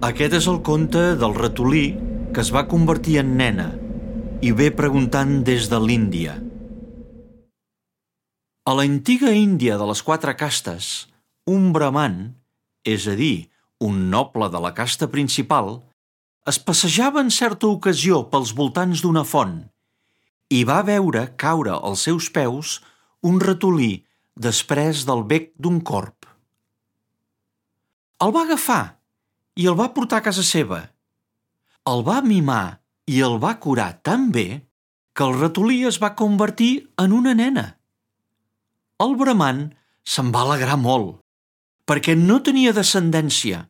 Aquest és el conte del ratolí que es va convertir en nena i ve preguntant des de l'Índia. A l'antiga Índia de les 4 castes, un brahman, és a dir, un noble de la casta principal, es passejava en certa ocasió pels voltants d'una font i va veure caure als seus peus un ratolí després del bec d'un corb. El va agafar i el va portar a casa seva. El va mimar i el va curar tan bé que el ratolí es va convertir en una nena. El brahman se'n va alegrar molt, perquè no tenia descendència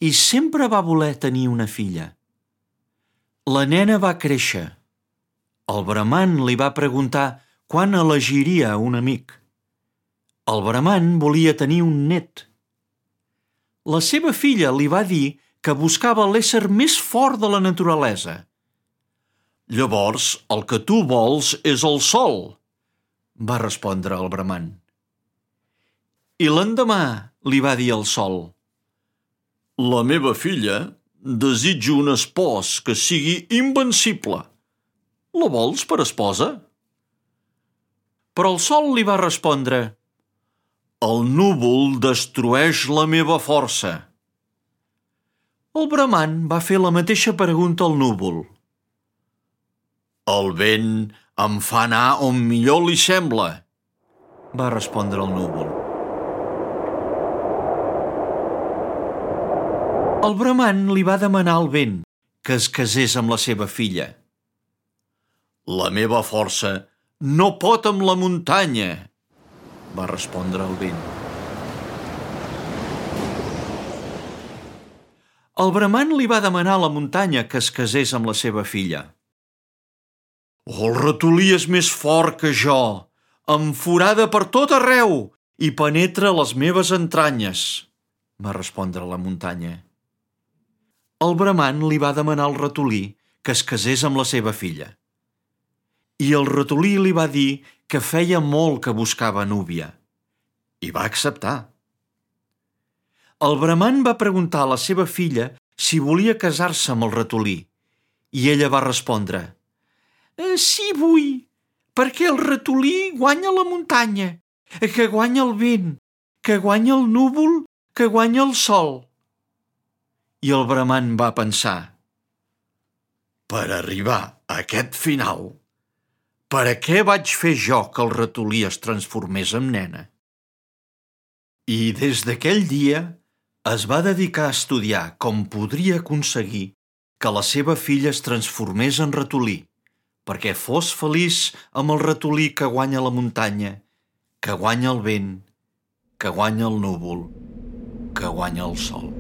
i sempre va voler tenir una filla. La nena va créixer. El brahman li va preguntar quan elegiria un amic. El brahman volia tenir un net. La seva filla li va dir que buscava l'ésser més fort de la naturalesa. «Llavors, el que tu vols és el sol», va respondre el brahman. I l'endemà li va dir el sol: «La meva filla desitja un espòs que sigui invencible. La vols per esposa?» Però el sol li va respondre: «El núvol destrueix la meva força». El brahman va fer la mateixa pregunta al núvol. «El vent em fa anar on millor li sembla», va respondre el núvol. El brahman li va demanar al vent que es casés amb la seva filla. «La meva força no pot amb la muntanya», va respondre el vent. El brahman li va demanar a la muntanya que es casés amb la seva filla. «El ratolí és més fort que jo, em forada per tot arreu i penetra les meves entranyes», va respondre la muntanya. El brahman li va demanar al ratolí que es casés amb la seva filla. I el ratolí li va dir que feia molt que buscava núvia. I va acceptar. El brahman va preguntar a la seva filla si volia casar-se amb el ratolí, i ella va respondre: «Sí vull, perquè el ratolí guanya la muntanya, que guanya el vent, que guanya el núvol, que guanya el sol». I el brahman va pensar: «Per arribar a aquest final, per a què vaig fer jo que el ratolí es transformés en nena?» I des d'aquell dia es va dedicar a estudiar com podria aconseguir que la seva filla es transformés en ratolí, perquè fos feliç amb el ratolí que guanya la muntanya, que guanya el vent, que guanya el núvol, que guanya el sol.